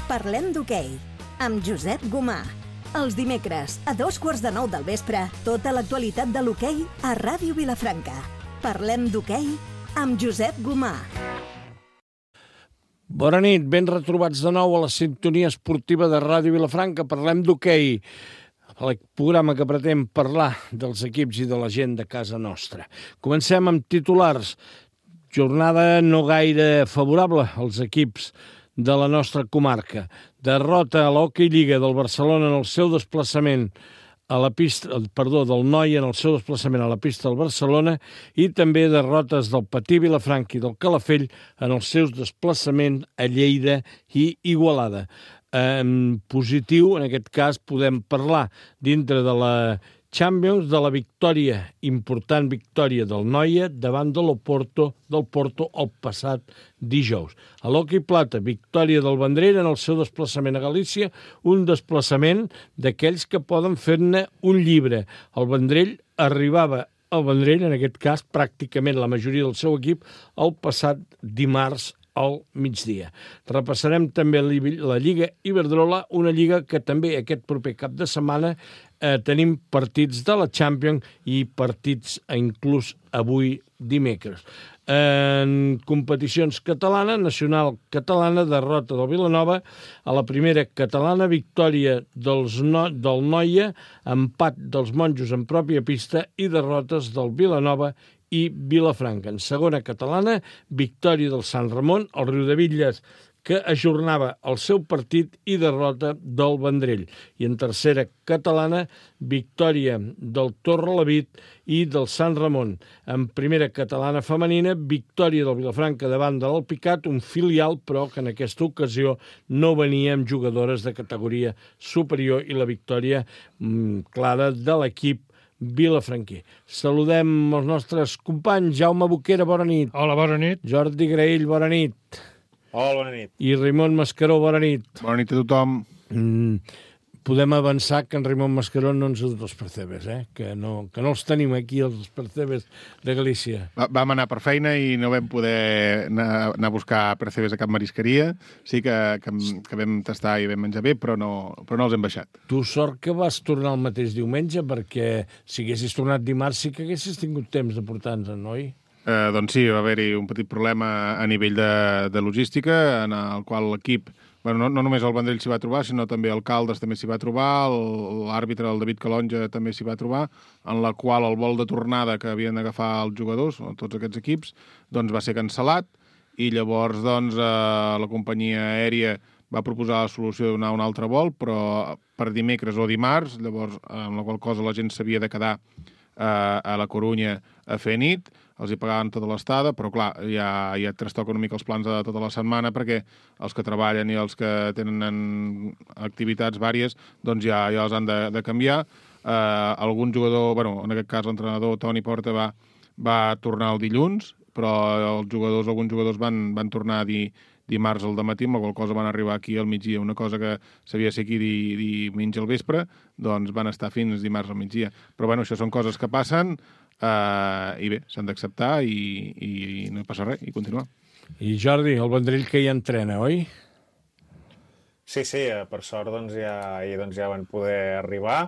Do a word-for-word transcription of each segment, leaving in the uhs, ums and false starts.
Parlem d'hoquei, amb Josep Gomà. Els dimecres, a dos quarts de nou del vespre, tota l'actualitat de l'hoquei a Ràdio Vilafranca. Parlem d'hoquei amb Josep Gomà. Bona nit, ben retrobats de nou a la sintonia esportiva de Ràdio Vilafranca. Parlem d'hoquei, el programa que pretén parlar dels equips i de la gent de casa nostra. Comencem amb titulars. Jornada no gaire favorable als equips de la nostra comarca. Derrota a l'Hockey Lliga del Barcelona en el seu desplaçament a la pista, perdó, del Noia en el seu desplaçament a la pista del Barcelona i també derrotes del Patí Vilafranca i del Calafell en els seus desplaçaments a Lleida i Igualada. En positiu, en aquest cas, podem parlar dintre de la Champions de la victòria, important victòria del Noia davant de l'Oporto del Porto el passat dijous. A l'Hockey Plata, victòria del Vendrell en el seu desplaçament a Galícia, un desplaçament d'aquells que poden fer-ne un llibre. El Vendrell arribava al Vendrell, en aquest cas, pràcticament la majoria del seu equip, el passat dimarts al migdia. Repassarem també la Lliga Iberdrola, una lliga que també aquest proper cap de setmana eh, tenim partits de la Champions i partits inclús avui dimecres. En competicions catalanes, nacional catalana, derrota del Vilanova, a la primera catalana, victòria dels no, del Noia, empat dels monjos en pròpia pista i derrotes del Vilanova i Vilafranca. En segona catalana, victòria del Sant Ramon, el Riudebitlles, que ajornava el seu partit i derrota del Vendrell. I en tercera catalana, victòria del Torrelavit i del Sant Ramon. En primera catalana femenina, victòria del Vilafranca davant de l'Alpicat, un filial, però que en aquesta ocasió no venia amb jugadores de categoria superior i la victòria mmm, clara de l'equip vilafranquí. Saludem els nostres companys. Jaume Boquera, bona nit. Hola, bona nit. Jordi Graell, bona nit. Hola, bona nit. I Raimon Mascaró, bona nit. Bona nit a tothom. Mm, podem avançar que en Raimon Mascaró no ens ha dut els percebes, eh? que, no, que no els tenim aquí, els percebes de Galícia. Va, vam anar per feina i no vam poder anar, anar a buscar percebes a cap marisqueria. Sí que, que, que vam tastar i vam menjar bé, però no, però no els hem baixat. Tu sort que vas tornar el mateix diumenge, perquè si haguessis tornat dimarts sí que haguessis tingut temps de portar-nos, noi? Eh, doncs sí, va haver-hi un petit problema a nivell de, de logística, en el qual l'equip, bueno, no, no només el Vendrell s'hi va trobar, sinó també el Caldes també s'hi va trobar, l'àrbitre, el David Calonja, també s'hi va trobar, en la qual el vol de tornada que havien d'agafar els jugadors, tots aquests equips, doncs va ser cancel·lat, i llavors doncs, eh, la companyia aèria va proposar la solució de donar un altre vol, però per dimecres o dimarts, llavors, amb la qual cosa la gent s'havia de quedar eh, a la Corunya a fer nit, els hi pagaven tota l'estada, però clar, ja, ja trastoca una mica els plans de tota la setmana perquè els que treballen i els que tenen activitats vàries doncs ja, ja els han de, de canviar. Eh, algun jugador, bueno, en aquest cas l'entrenador Toni Porta va, va tornar el dilluns, però els jugadors, alguns jugadors van, van tornar a dir dimarts al dematí, amb la qual cosa van arribar aquí al migdia. Una cosa que sabia ser aquí diumenge al vespre, doncs van estar fins dimarts al migdia. Però bueno, això són coses que passen, Uh, i bé, s'han d'acceptar i, i, i no passa res, i continuar. I Jordi, el Vendrell que ja entrena, oi? Sí, sí, per sort doncs, ja, ahir doncs, ja van poder arribar,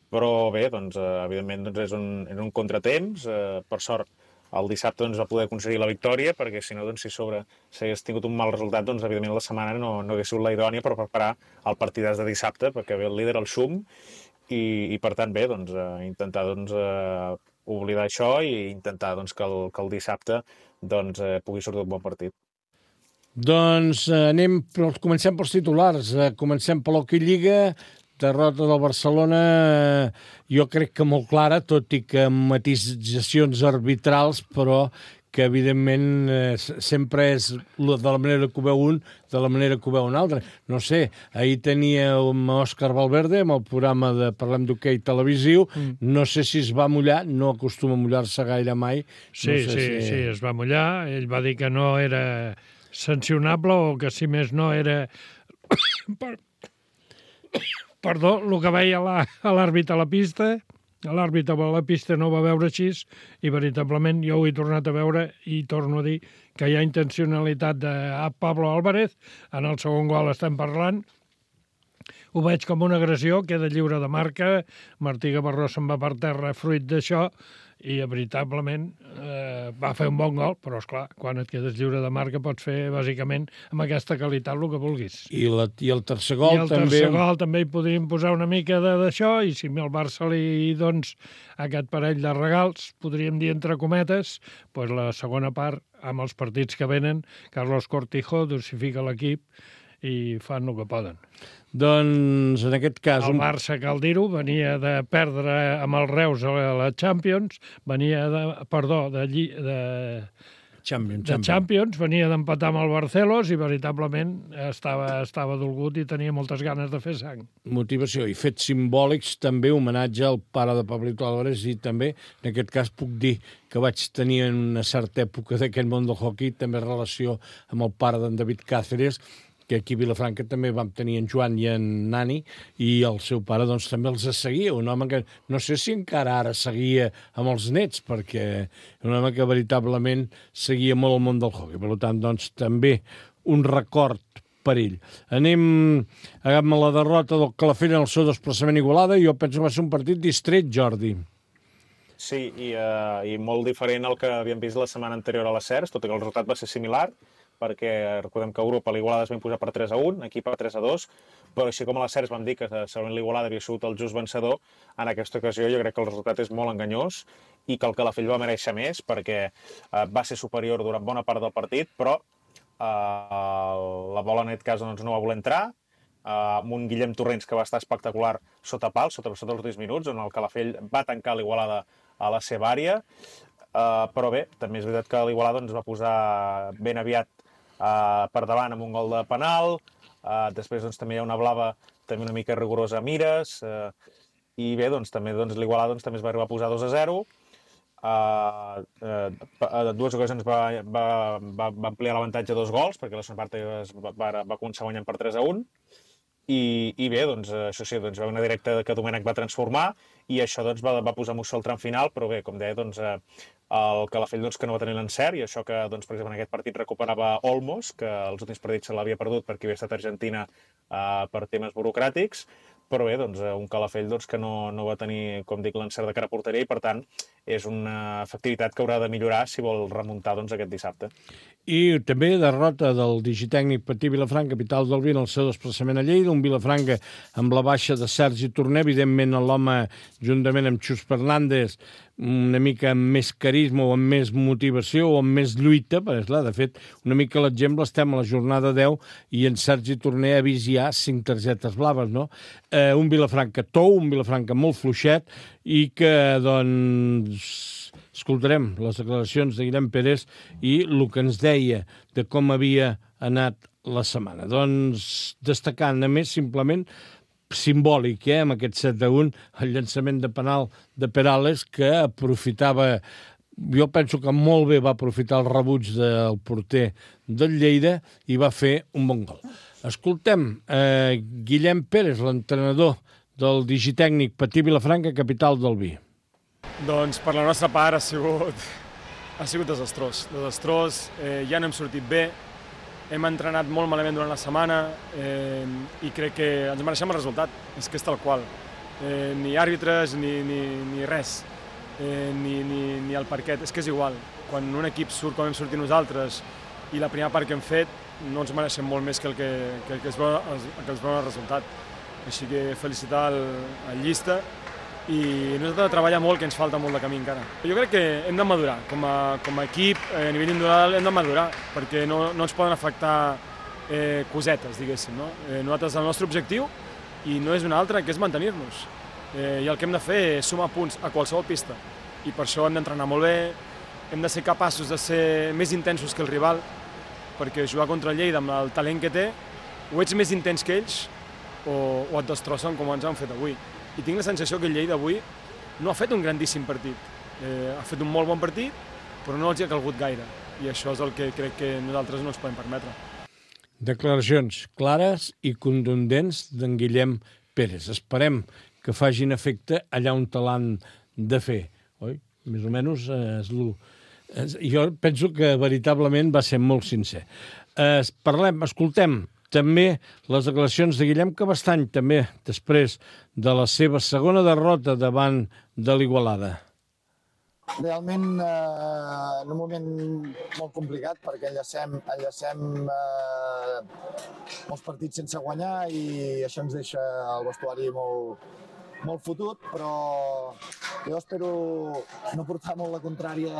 però bé, doncs, evidentment doncs, és, un, és un contratemps. Uh, per sort el dissabte doncs, va poder aconseguir la victòria, perquè si no, doncs, si sobre s'hagués tingut un mal resultat, doncs evidentment la setmana no, no hagués sigut la idònia per preparar el partidàs de dissabte, perquè ve el líder, el Xum, i, i per tant bé, doncs, uh, intentar doncs, uh, oblidar això i intentar doncs, que, el, que el dissabte doncs, eh, pugui sortir un bon partit. Doncs eh, anem, comencem pels titulars. Eh, comencem per l'Hockey Lliga, derrota del Barcelona, eh, jo crec que molt clara, tot i que amb matisacions arbitrals, però que evidentment eh, sempre és de la manera que ho veu un, de la manera que ho veu un altre. No sé, ahir tenia un Òscar Valverde amb el programa de Parlem d'Hoquei televisiu, mm. no sé si es va mullar, no acostuma a mullar-se gaire mai. Sí, no sé sí, si... sí, es va mullar, ell va dir que no era sancionable o que si més no era... Perdó, el que veia l'àrbit a la pista l'àrbitre a la pista no ho va veure així i veritablement jo ho he tornat a veure i torno a dir que hi ha intencionalitat de Pablo Álvarez. En el segon gol estem parlant. Ho veig com una agressió, queda lliure de marca, Martí Gavarró se'n va per terra fruit d'això i veritablement eh, va fer un bon gol, però esclar, quan et quedes lliure de marca pots fer bàsicament amb aquesta qualitat el que vulguis. I, la, i el tercer gol I el també... tercer gol també hi podríem posar una mica d'això i si al Barça li doncs aquest parell de regals, podríem dir entre cometes, doncs la segona part, amb els partits que venen, Carlos Cortijo dosifica l'equip i fan el que poden. Doncs, en aquest cas... El Barça, cal dir-ho, venia de perdre amb el Reus a la Champions, venia de... perdó, de... de Champions, de Champions, venia d'empatar amb el Barcelos i veritablement estava, estava dolgut i tenia moltes ganes de fer sang. Motivació i fets simbòlics, també homenatge al pare de Pablito Álvarez i també, en aquest cas, puc dir que vaig tenir en una certa època d'aquest món del hoquei també relació amb el pare d'en David Cáceres, que aquí a Vilafranca també vam tenir en Joan i en Nani, i el seu pare doncs, també els seguia, un home que no sé si encara ara seguia amb els nets, perquè un home que veritablement seguia molt el món del hoquei. Per tant, doncs, també un record per ell. Anem amb la derrota del Calafell en el seu desplaçament a Igualada, i jo penso que va ser un partit distret, Jordi. Sí, i, uh, i molt diferent al que havíem vist la setmana anterior a les Cercs, tot i que el resultat va ser similar, perquè recordem que a Europa l'Igualada es va imposar per tres a un, aquí per tres a dos, però així com a les Cercs vam dir que segurament l'Igualada havia sigut el just vencedor, en aquesta ocasió jo crec que el resultat és molt enganyós i que el Calafell va mereixer més perquè eh, va ser superior durant bona part del partit, però eh, la bola en aquest cas doncs, no va voler entrar, eh, amb un Guillem Torrents que va estar espectacular sota pal, sota, sota els últims minuts, on el Calafell va tancar l'Igualada a la seva àrea, eh, però bé, també és veritat que l'Igualada ens va posar ben aviat Uh, per davant amb un gol de penal, uh, després doncs, també hi ha una blava també una mica rigorosa a Mires, uh, i bé, doncs, també doncs, l'Igualada doncs, també es va arribar a posar dos a zero, uh, uh, dues ocasions va, va, va, va ampliar l'avantatge a dos gols, perquè la segona part es va, va, va començar guanyant per tres a un, i, i bé, doncs, això sí, doncs, va una directa que Domènech va transformar, i això doncs, va, va posar Mussol al tram final, però bé, com deia, doncs, uh, el Calafell doncs, que no va tenir l'encert, i això que, doncs, per exemple, en aquest partit recuperava Olmos, que els últims partits se l'havia perdut perquè havia estat a Argentina eh, per temes burocràtics, però bé, doncs, un Calafell doncs, que no, no va tenir, com dic, l'encert de cara a porteria, i per tant és una efectivitat que haurà de millorar si vol remuntar doncs, aquest dissabte. I també derrota del digitècnic Patí Vilafranca, capital del vi, en el seu desplaçament a Lleida, un Vilafranca amb la baixa de Sergi Torner, evidentment l'home, juntament amb Xus Fernández, una mica amb més carisma o amb més motivació o amb més lluita, perquè, clar, de fet, una mica l'exemple, estem a la jornada deu i en Sergi Torner ha vist ja cinc targetes blaves, no? Eh, un Vilafranca tou, un Vilafranca molt fluixet i que, doncs, escoltarem les declaracions de Guillem Pérez i el que ens deia de com havia anat la setmana. Doncs, destacant, a més, simplement, simbòlic, eh, amb aquest set a un, el llançament de penal de Perales, que aprofitava, jo penso que molt bé va aprofitar el rebuig del porter del Lleida i va fer un bon gol. Escoltem, eh, Guillem Pérez, l'entrenador del digitècnic Patí Vilafranca, capital del vi. Doncs per la nostra part ha sigut, ha sigut desastrós. Desastrós, eh, ja no hem sortit bé, hem entrenat molt malament durant la setmana eh, i crec que ens mereixem el resultat, és que és tal qual. Eh, ni àrbitres, ni, ni, ni res, eh, ni, ni, ni el parquet, és que és igual. Quan un equip surt com hem sortit nosaltres i la primera part que hem fet, no ens mereixem molt més que el que, que, que, es, veu, el que es veu el resultat. Així que felicitar el, el Llista i nosaltres hem de treballar molt, que ens falta molt de camí encara. Jo crec que hem de madurar, com a, com a equip, a nivell individual hem de madurar, perquè no, no ens poden afectar eh, cosetes, diguéssim. No? Eh, nosaltres el nostre objectiu, i no és un altre, que és mantenir-nos. Eh, I el que hem de fer és sumar punts a qualsevol pista, i per això hem d'entrenar molt bé, hem de ser capaços de ser més intensos que el rival, perquè jugar contra el Lleida amb el talent que té, o ets més intens que ells, o, o et destrossen com ens han fet avui. I tinc la sensació que el Lleida avui no ha fet un grandíssim partit. Eh, ha fet un molt bon partit, però no els hi ha calgut gaire. I això és el que crec que nosaltres no ens podem permetre. Declaracions clares i contundents d'en Guillem Pérez. Esperem que facin efecte allà on l'han de fer, oi? Més o menys eh, és el... Jo penso que veritablement va ser molt sincer. Eh, parlem, escoltem també les declaracions de Guillem Cabestany, també després de la seva segona derrota davant de l'Igualada. Realment eh, en un moment molt complicat perquè enllacem, enllacem eh, molts partits sense guanyar i això ens deixa el vestuari molt, molt fotut, però jo espero no portar molt la contrària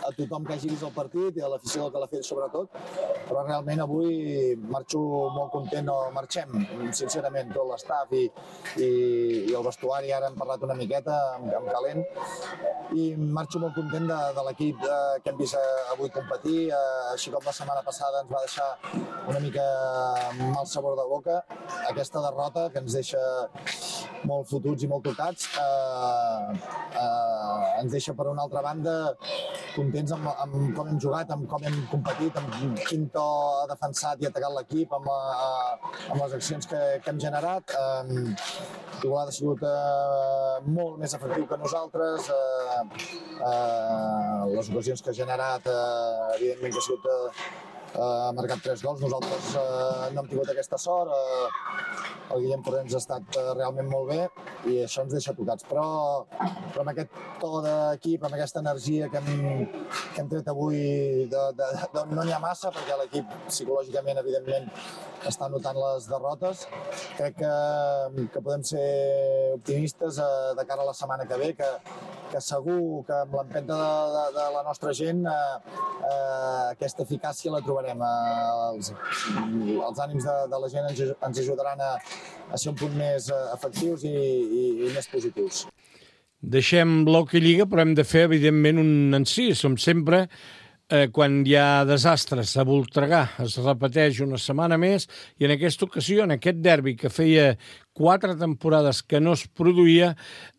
a tothom que hagi vist el partit i a l'afició del Calafell sobretot, però realment avui marxo molt content, o marxem sincerament tot l'estaf i, i, i el vestuari, ara hem parlat una miqueta amb, amb calent, i marxo molt content de, de l'equip eh, que hem vist avui competir, eh, així com la setmana passada ens va deixar una mica mal sabor de boca, aquesta derrota que ens deixa molt fotuts i molt tocats, eh, eh, ens deixa per una altra banda contents amb, amb com hem jugat, amb com hem competit, amb quin to ha defensat i atacat l'equip, amb, eh, amb les accions que, que hem generat. Eh, Igualada ha sigut eh, molt més efectiu que nosaltres, eh, eh, les ocasions que ha generat, eh, evidentment que ha sigut eh, ha marcat tres gols, nosaltres eh, no hem tingut aquesta sort, eh, el Guillem Corrents ha estat eh, realment molt bé i això ens deixa tocats, però, però amb aquest to d'equip, amb aquesta energia que hem, que hem tret avui, de, de, de, no n'hi ha massa perquè l'equip psicològicament, evidentment, està notant les derrotes. Crec que, que podem ser optimistes eh, de cara a la setmana que ve, que, que segur que amb l'empenta de, de, de la nostra gent eh, eh, aquesta eficàcia la trobarem. Eh, els, els ànims de, de la gent ens, ens ajudaran a, a ser un punt més eh, efectius i, i, i més positius. Deixem l'Hockey Lliga, però hem de fer, evidentment, un encís. Com sempre, eh, quan hi ha desastres a Voltregà, es repeteix una setmana més, i en aquesta ocasió, en aquest derbi que feia quatre temporades que no es produïa,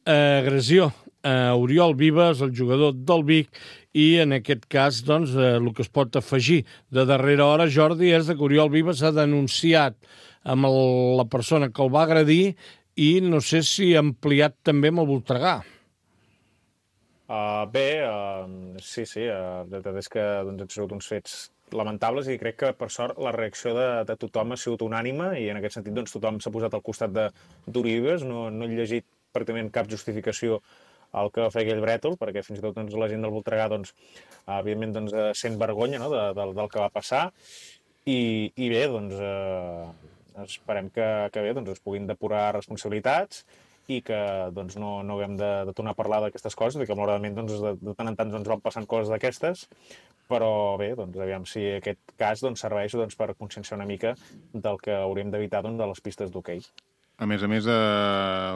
eh, agressió a Oriol Vives, el jugador del Vic, i en aquest cas, doncs, eh, el que es pot afegir de darrera hora, Jordi, és que Oriol Vives ha denunciat amb el, la persona que el va agredir i no sé si ha ampliat també amb el Voltregà. Uh, bé, uh, sí, sí, uh, la veritat és que doncs, han sigut uns fets lamentables i crec que, per sort, la reacció de, de tothom ha sigut unànime i en aquest sentit doncs, tothom s'ha posat al costat d'Oriol Vives. No, no he llegit pràcticament cap justificació al que va fer aquell brètol, perquè fins i tot doncs, la gent del Voltregà doncs, evidentment doncs, sent vergonya, no?, de, de, del que va passar i, i bé, doncs, eh, esperem que, que bé, doncs, es puguin depurar responsabilitats i que doncs, no, no haguem de, de tornar a parlar d'aquestes coses, i que malauradament doncs, de, de tant en tant doncs, van passant coses d'aquestes, però bé, doncs, aviam si aquest cas doncs, serveix doncs, per conscienciar una mica del que hauríem d'evitar doncs, de les pistes d'hoquei. A més a més, eh,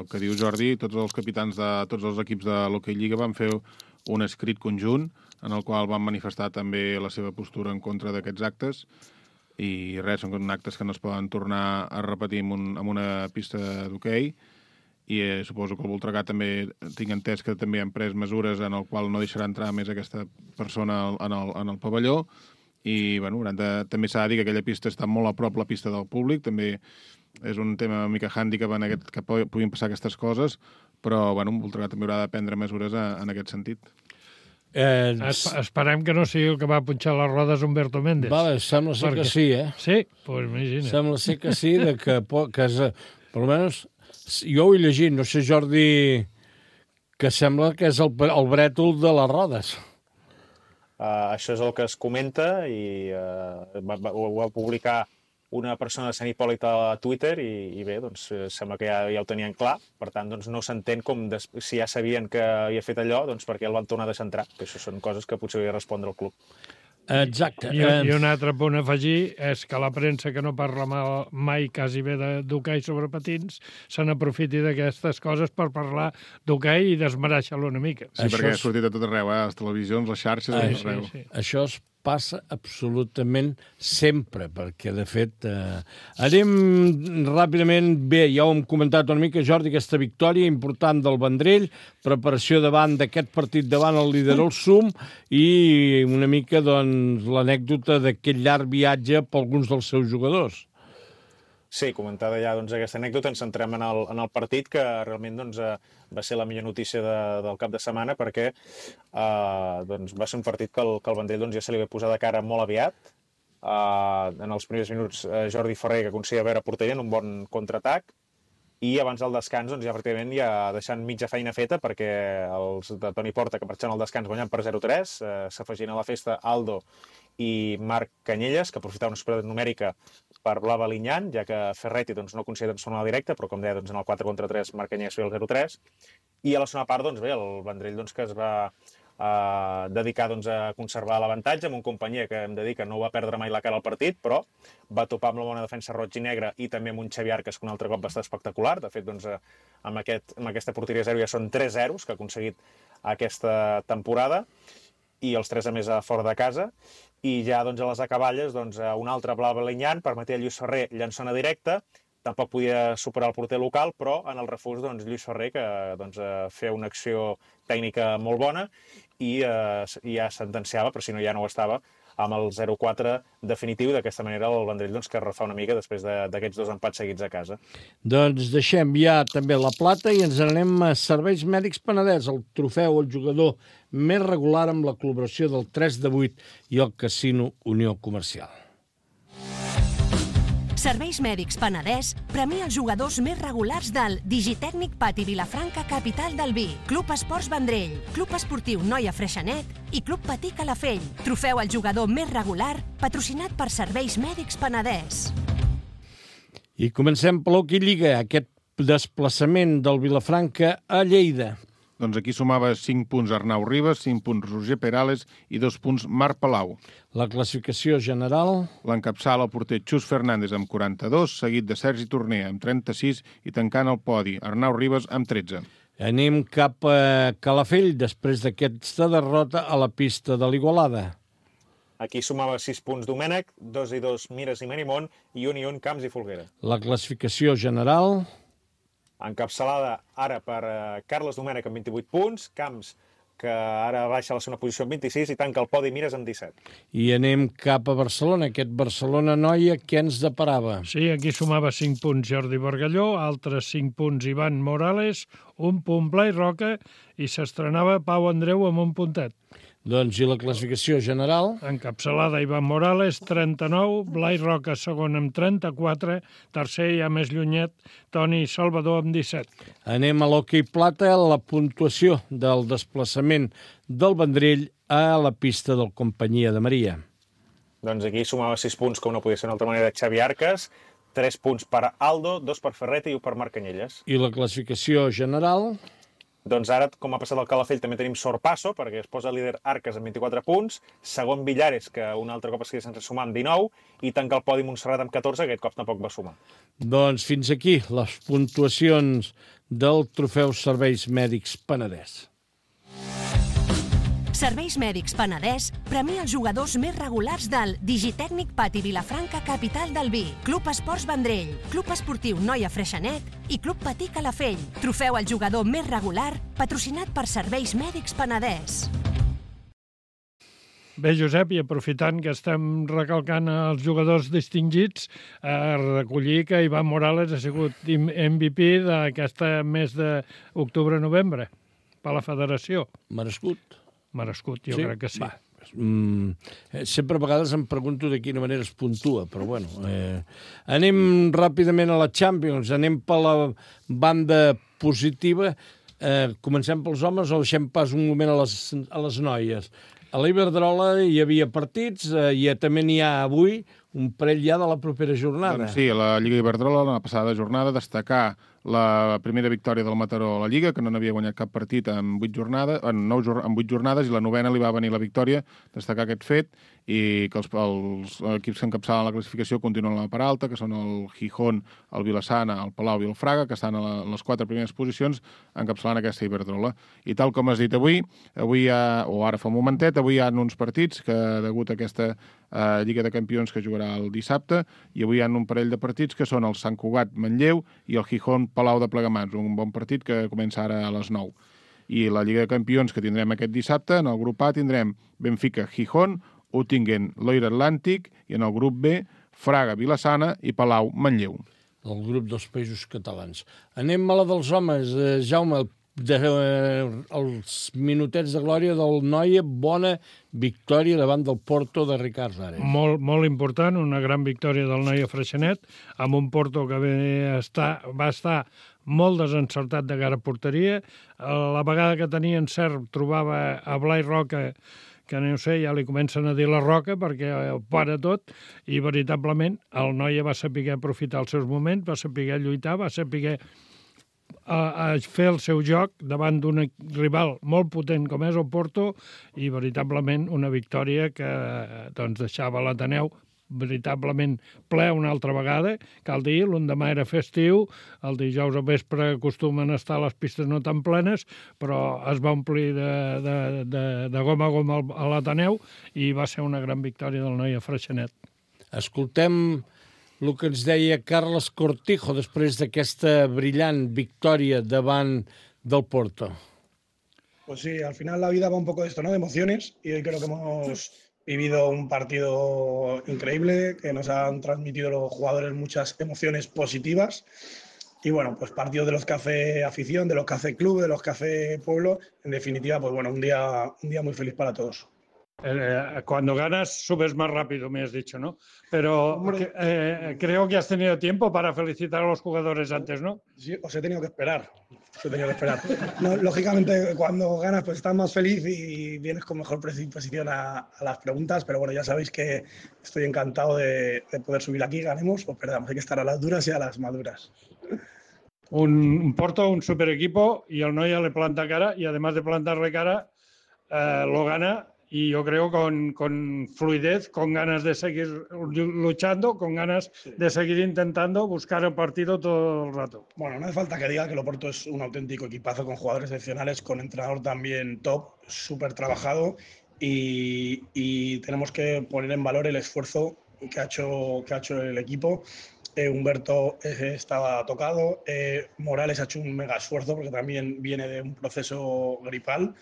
el que diu Jordi, tots els capitans de tots els equips de l'Hockey Lliga van fer un escrit conjunt en el qual van manifestar també la seva postura en contra d'aquests actes i res, són actes que no es poden tornar a repetir en, un, en una pista d'hoquei. I eh, suposo que el Voltregà també tinc entès que també han pres mesures en el qual no deixarà entrar més aquesta persona en el, en el pavelló i bueno, de, també s'ha de dir que aquella pista està molt a prop la pista del públic, també és un tema una mica hàndicap en aquest, que puguin passar aquestes coses, però bueno, el Voltregà també haurà de prendre mesures a, en aquest sentit. Eh, es, esperem que no sigui el que va punxar les rodes Humberto Méndez. Vale, sembla ser perquè... que sí, eh? Sí? Doncs pues imagina. Sembla ser que sí, de que, que és, per almenys jo ho he llegit, no sé, Jordi, que sembla que és el, el brètol de les rodes. Uh, això és el que es comenta i uh, va, va, ho va publicar una persona de Sant Hipòlit a Twitter i, i bé, doncs sembla que ja, ja ho tenien clar, per tant doncs, no s'entén com des, si ja sabien que havia fet allò, doncs perquè el van tornar a deixar que això són coses que potser hauria de respondre al club. Exacte. I, I un altre punt a afegir és que la premsa que no parla mal, mai quasi bé d'hoquei sobre patins se n'aprofiti d'aquestes coses per parlar d'hoquei i desmereixer-lo una mica. Sí, això perquè és... ha sortit a tot arreu, eh? Les televisions, les xarxes, a tot arreu. Sí, sí. Això es passa absolutament sempre, perquè, de fet, eh, anem ràpidament, bé, ja ho hem comentat una mica, Jordi, aquesta victòria important del Vendrell, preparació davant d'aquest partit davant el líder el Sum i una mica, doncs, l'anècdota d'aquest llarg viatge per alguns dels seus jugadors. Sí, comentada ja doncs, aquesta anècdota, ens centrem en el, en el partit, que realment doncs, va ser la millor notícia de, del cap de setmana, perquè eh, doncs, va ser un partit que el, que el Vendrell doncs, ja se li va posar de cara molt aviat. Eh, en els primers minuts, eh, Jordi Ferrer, que aconseguia veure porteria en un bon contraatac, i abans del descans doncs, ja pràcticament ja deixant mitja feina feta, perquè els de Toni Porta, que marxant al descans guanyant per zero tres, eh, s'afegien a la festa Aldo i Marc Canyelles, que aprofitava una superioritat numèrica per Blava Linyan, ja que Ferretti doncs, no aconseguia transformar la directa, però com deia, doncs, en el quatre contra tres Marc Canyelles feia el zero tres. I a la segona part, doncs, bé, el Vendrell doncs, que es va eh, dedicar doncs, a conservar l'avantatge amb un companyia que hem de dir que no va perdre mai la cara al partit, però va topar amb la bona defensa roig i negra i també amb un Xavi Arcas que un altre cop va estar espectacular. De fet, doncs, amb, aquest, amb aquesta porteria zero ja són tres zeros que ha aconseguit aquesta temporada, i els tres a més a fora de casa. I ja doncs, a les acaballes, doncs, un altre Blava Linyan permetia a Lluís Ferrer llançona directa, tampoc podia superar el porter local, però en el refús doncs, Lluís Ferrer, que doncs, feia una acció tècnica molt bona i eh, ja sentenciava, però si no ja no ho estava, amb el zero quatre definitiu. D'aquesta manera el Vendrell doncs, que refà una mica després d'aquests dos empats seguits a casa. Doncs deixem ja també la plata i ens anem a Serveis Mèdics Penedès, el trofeu al jugador més regular amb la col·laboració del tres de vuit i el Casino Unió Comercial. Serveis Mèdics Penedès premia els jugadors més regulars del Digitècnic Pati Vilafranca, capital del vi, Club Esports Vendrell, Club Esportiu Noia Freixenet i Club Patí Calafell. Trofeu al jugador més regular, patrocinat per Serveis Mèdics Penedès. I comencem per l'Hockey Lliga, aquest desplaçament del Vilafranca a Lleida. Doncs aquí sumava cinc punts Arnau Ribas, cinc punts Roger Perales i dos punts Marc Palau. La classificació general... L'encapçala el porter Xus Fernández amb quaranta-dos, seguit de Sergi Torner amb trenta-sis i tancant el podi Arnau Ribas amb tretze. Anem cap a Calafell després d'aquesta derrota a la pista de l'Igualada. Aquí sumava sis punts Domènec, dos i dos Mires i Merimont i un i un Camps i Folguera. La classificació general... Encapçalada ara per uh, Carles Domènech amb vint-i-vuit punts, Camps, que ara baixa a la segona posició amb vint-i-sis i tanca el podi Mires amb disset. I anem cap a Barcelona, aquest Barcelona-Noia, què ens deparava? Sí, aquí sumava cinc punts Jordi Bargalló, altres cinc punts Ivan Morales, un punt Blai Roca i s'estrenava Pau Andreu amb un puntet. Doncs i la classificació general? Encapçalada Ivan Morales, trenta-nou, Blai Roca segon amb trenta-quatre, tercer ja més llunyet, Toni Salvador amb disset. Anem a l'hoquei plata, la puntuació del desplaçament del Vendrell a la pista del Companyia de Maria. Doncs aquí sumava sis punts, com no podia ser d'una altra manera, Xavi Arcas, tres punts per Aldo, dos per Ferretti i un per Marc Canyelles. I la classificació general? Doncs ara, com ha passat al Calafell, també tenim sorpasso, perquè es posa líder Arcas amb vint-i-quatre punts, segon Villares, que un altre cop es queda sense sumar amb dinou, i tanca el podi Montserrat amb catorze, que aquest cop tampoc va sumar. Doncs fins aquí les puntuacions del trofeu Serveis Mèdics Penedès. Serveis Mèdics Penedès premia els jugadors més regulars del Digitècnic Pati Vilafranca, capital del vi, Club Esports Vendrell, Club Esportiu Noia Freixenet i Club Patí Calafell. Trofeu al jugador més regular, patrocinat per Serveis Mèdics Penedès. Bé, Josep, i aprofitant que estem recalcant els jugadors distingits, a recollir que Ivan Morales ha sigut M V P d'aquesta mes d'octubre-novembre per la federació. Merescut. Merescut, jo sí? crec que sí. Va. Mm, sempre a vegades em pregunto de quina manera es puntua, però bueno. Eh, anem ràpidament a la Champions, anem per la banda positiva. Eh, comencem pels homes o deixem pas un moment a les, a les noies? A l'Iberdrola hi havia partits, eh, i també n'hi ha avui un parell ja de la propera jornada. Doncs sí, a la Lliga Iberdrola, la passada jornada, destacar la primera victòria del Mataró a la Lliga, que no n'havia guanyat cap partit en vuit jornades, en nou, en vuit jornades, i la novena li va venir la victòria, destacar aquest fet, i que els, els equips que encapçalen la classificació continuen a la part alta, que són el Gijón, el Vilassana, el Palau i el Fraga, que estan a, la, a les quatre primeres posicions encapçalant aquesta Iberdrola. I tal com has dit avui, avui hi ha, o ara fa un momentet, avui hi ha uns partits que, degut a aquesta eh, Lliga de Campions que jugarà el dissabte, i avui hi ha un parell de partits que són el Sant Cugat Manlleu i el Gijón Palau de Plegamans, un bon partit que comença ara a les nou. I la Lliga de Campions que tindrem aquest dissabte, en el grup A tindrem Benfica Gijón, Uttingen Loira Atlàntic, i en el grup B Fraga Vilassana i Palau Manlleu. el grup dels països catalans. Anem a la dels homes. Eh, Jaume, de, eh, els minutets de glòria del Noia, bona victòria davant del Porto de Ricard Ares. Molt, molt important, una gran victòria del Noia Freixenet, amb un Porto que estar, va estar molt desencertat de cara a porteria. La vegada que tenia encert trobava a Blai Roca, que no sé, ja li comencen a dir la Roca perquè ho para tot, i veritablement el Noia va saber aprofitar els seus moments, va saber lluitar, va saber a, a fer el seu joc davant d'un rival molt potent com és el Porto, i veritablement una victòria que doncs, deixava l'Ateneu veritablement ple una altra vegada. Cal dir, l'endemà era festiu, el dijous al vespre acostumen a estar les pistes no tan plenes, però es va omplir de, de, de, de goma a goma a l'Ateneu i va ser una gran victòria del Noia Freixenet. Escoltem el que ens deia Carles Cortijo després d'aquesta brillant victòria davant del Porto. Pues sí, al final la vida va un poco de esto, ¿no? De emociones, y hoy creo que hemos vivido un partido increíble, que nos han transmitido los jugadores muchas emociones positivas. Y bueno, pues partidos de los que hace afición, de los que hace club, de los que hace pueblo. En definitiva, pues bueno, un día, un día muy feliz para todos. Eh, cuando ganas subes más rápido, me has dicho, ¿no? Pero eh, creo que has tenido tiempo para felicitar a los jugadores antes, ¿no? Sí, os he tenido que esperar. Os he tenido que esperar. No, lógicamente, cuando ganas, pues estás más feliz y vienes con mejor predisposición a, a las preguntas, pero bueno, ya sabéis que estoy encantado de, de poder subir aquí, ganemos o perdamos. Hay que estar a las duras y a las maduras. Un, un Porto, un super equipo, y el Noia le planta cara, y además de plantarle cara, eh, lo gana. Y yo creo con, con fluidez, con ganas de seguir luchando, con ganas sí. de seguir intentando buscar el partido todo el rato. Bueno, no hace falta que diga que el Oporto es un auténtico equipazo con jugadores excepcionales, con entrenador también top, súper trabajado, y, y tenemos que poner en valor el esfuerzo que ha hecho, que ha hecho el equipo. Eh, Humberto eh, estaba tocado, eh, Morales ha hecho un mega esfuerzo porque también viene de un proceso gripal.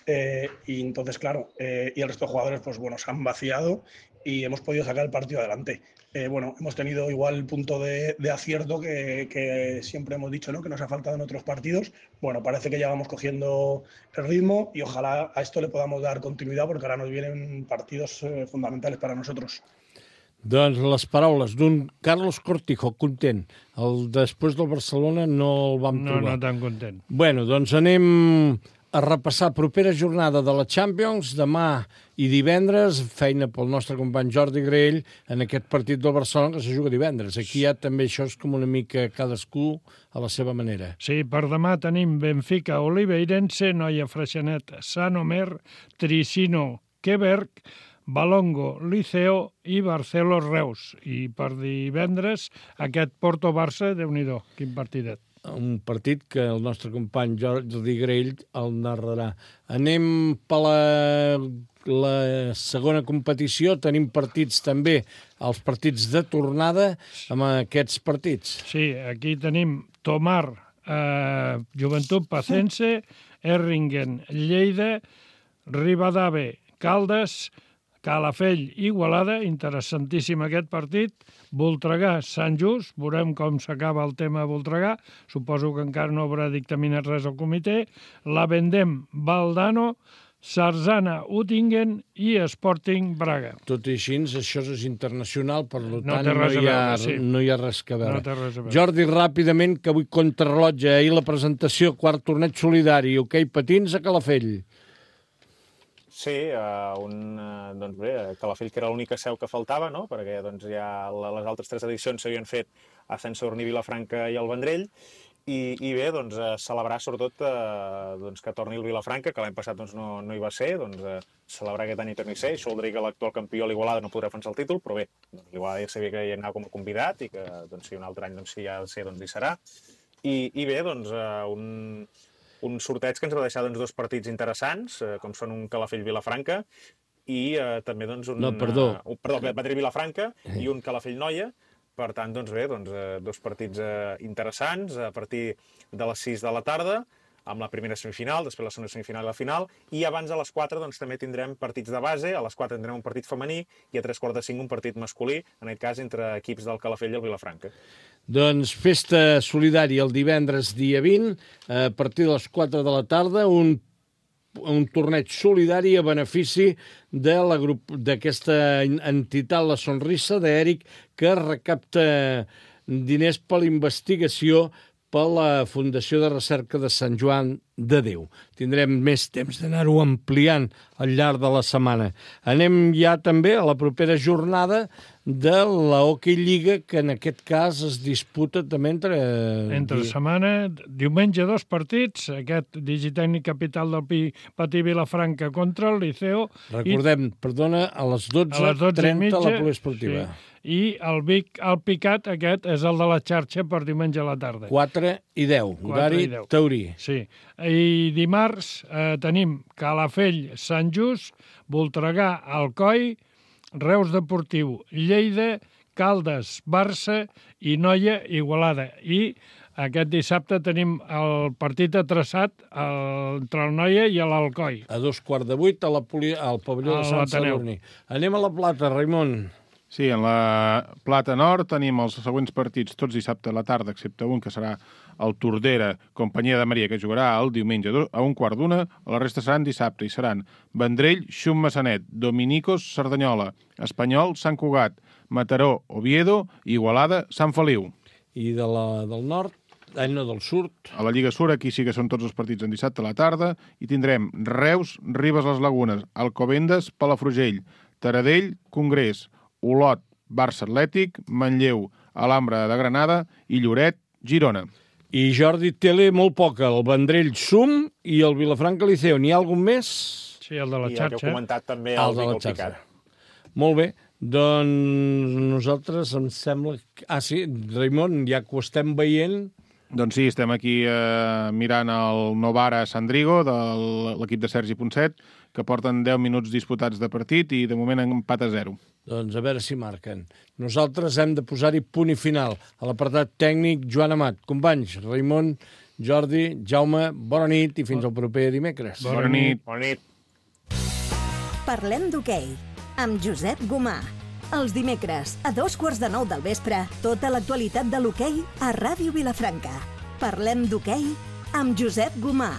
Eh, y entonces, claro, eh, y el resto de jugadores, pues bueno, se han vaciado y hemos podido sacar el partido adelante. Eh, bueno, hemos tenido igual el punto de, de acierto que, que siempre hemos dicho, ¿no? Que nos ha faltado en otros partidos. Bueno, parece que ya vamos cogiendo el ritmo y ojalá a esto le podamos dar continuidad porque ahora nos vienen partidos eh, fundamentales para nosotros. Doncs les paraules d'un Carlos Cortijo, content. El, després del Barcelona no el vam no, trobar. No tan content. Bueno, doncs anem a repassar propera jornada de la Champions, demà i divendres, feina pel nostre company Jordi Graell en aquest partit del Barcelona que se juga divendres. Aquí ja també això és com una mica cadascú a la seva manera. Sí, per demà tenim Benfica, Oliveirense, Noia Freixenet, Sant Omer, Tricino, Queberg, Balongo, Liceo i Barceló Reus. I per divendres aquest Porto-Barça, Déu-n'hi-do, quin partidet. Un partit que el nostre company Jordi Graell el narrarà. Anem per la, la segona competició. Tenim partits també, els partits de tornada amb aquests partits. Sí, aquí tenim Tomar, eh, Joventut Pacense, Erringen, Lleida, Ribadave, Caldes, Calafell, Igualada, interessantíssim aquest partit, Voltregà, Sant Just, veurem com s'acaba el tema de Voltregà, suposo que encara no haurà dictaminat res al comitè, la Vendem, Valdano, Sarzana, Uttingen i Sporting Braga. Tot i així, això és internacional, per no tant no, hi ha, veure, sí. no hi ha res que veure. No res a veure. Jordi, ràpidament, que avui contrarrellotge, ahir la presentació, quart torneig solidari, hoquei patins a Calafell. Sí, uh, un, uh, doncs bé, Calafell, que era l'única seu que faltava, no? Perquè doncs, ja les altres tres edicions s'havien fet a Sant Sadurní, Vilafranca i el Vendrell, i, i bé, doncs, uh, celebrar sobretot uh, doncs, que torni el Vilafranca, que l'any passat doncs, no, no hi va ser, doncs, uh, celebrar aquest any i torni a ser. Això voldria que l'actual campió, l'Igualada, no podrà defensar el títol, però bé, doncs, l'Igualada ja sabia que hi anava com a convidat i que doncs, si un altre any doncs, si hi ha de ser, doncs hi serà. I, i bé, doncs, uh, un... un sorteig que ens va deixar doncs, dos partits interessants, eh, com són un Calafell-Vilafranca i eh, també doncs, un... No, perdó. Uh, un perdó, Madrid-Vilafranca i un Calafell-Noia. Per tant, doncs bé, doncs, eh, dos partits eh, interessants a partir de les sis de la tarda. amb la primera semifinal, després la segona semifinal i la final, i abans a les quatre doncs, també tindrem partits de base, a les quatre tindrem un partit femení i a tres quarts de cinc un partit masculí, en aquest cas entre equips del Calafell i el Vilafranca. Doncs festa solidària el divendres dia vint, a partir de les quatre de la tarda, un un torneig solidari a benefici de la grup d'aquesta entitat La Sonrisa d'Eric, que recapta diners per la investigació per la Fundació de Recerca de Sant Joan de Déu. Tindrem més temps d'anar-ho ampliant al llarg de la setmana. Anem ja també a la propera jornada de la Hockey Lliga, que en aquest cas es disputa també entre... Entre setmana, diumenge dos partits, aquest Digitècnic Capital del Pi, Patí Vilafranca contra el Liceo. Recordem, i... perdona, a les dotze trenta a la poliesportiva. Sí. I el Vic, el Picat, aquest, és el de la xarxa per diumenge a la tarda. quatre i deu, horari taurí. Sí. I dimarts eh, tenim Calafell, Sant Just, Voltregà, Alcoi, Reus Deportiu, Lleida, Caldes, Barça i Noia, Igualada. I aquest dissabte tenim el partit atreçat entre el Noia i l'Alcoi. A dos quarts de vuit a la poli... al pavelló de Sant Sadurní. Anem a la Plata, Raimon. Sí, en la Plata Nord tenim els següents partits tots dissabte a la tarda, excepte un que serà el Tordera, Companyia de Maria, que jugarà el diumenge a un quart d'una. La resta seran dissabte i seran Vendrell, Xum Massanet, Dominicos, Cerdanyola, Espanyol, Sant Cugat, Mataró, Oviedo, Igualada, Sant Feliu. I de la, del nord? Ah, no, del sud. A la Lliga Sur, aquí sí que són tots els partits en dissabte a la tarda, i tindrem Reus, Ribes les Lagunes, Alcobendas, Palafrugell, Taradell, Congrés, Olot, Barça Atlètic, Manlleu, Alhambra de Granada i Lloret, Girona. I Jordi Tele, molt poca, el Vendrell Sum i el Vilafranca Liceo. N'hi ha algun més? Sí, el de la I xarxa. I el que heu comentat també, el, el de la xarxa. Molt bé, doncs nosaltres em sembla... Que... Ah, sí, Raimon, ja que ho estem veient... Doncs sí, estem aquí eh, mirant el Novara Sandrigo de l'equip de Sergi Ponset, que porten deu minuts disputats de partit i de moment empat a zero. Doncs a veure si marquen. Nosaltres hem de posar-hi punt i final. A l'apartat tècnic, Joan Amat. Companys, Raimon, Jordi, Jaume, bona nit i fins al proper dimecres. Bona nit. Bona nit. Parlem d'hoquei amb Josep Gomà. Els dimecres, a dos quarts de nou del vespre, tota l'actualitat de l'hoquei a Ràdio Vilafranca. Parlem d'hoquei amb Josep Gomà.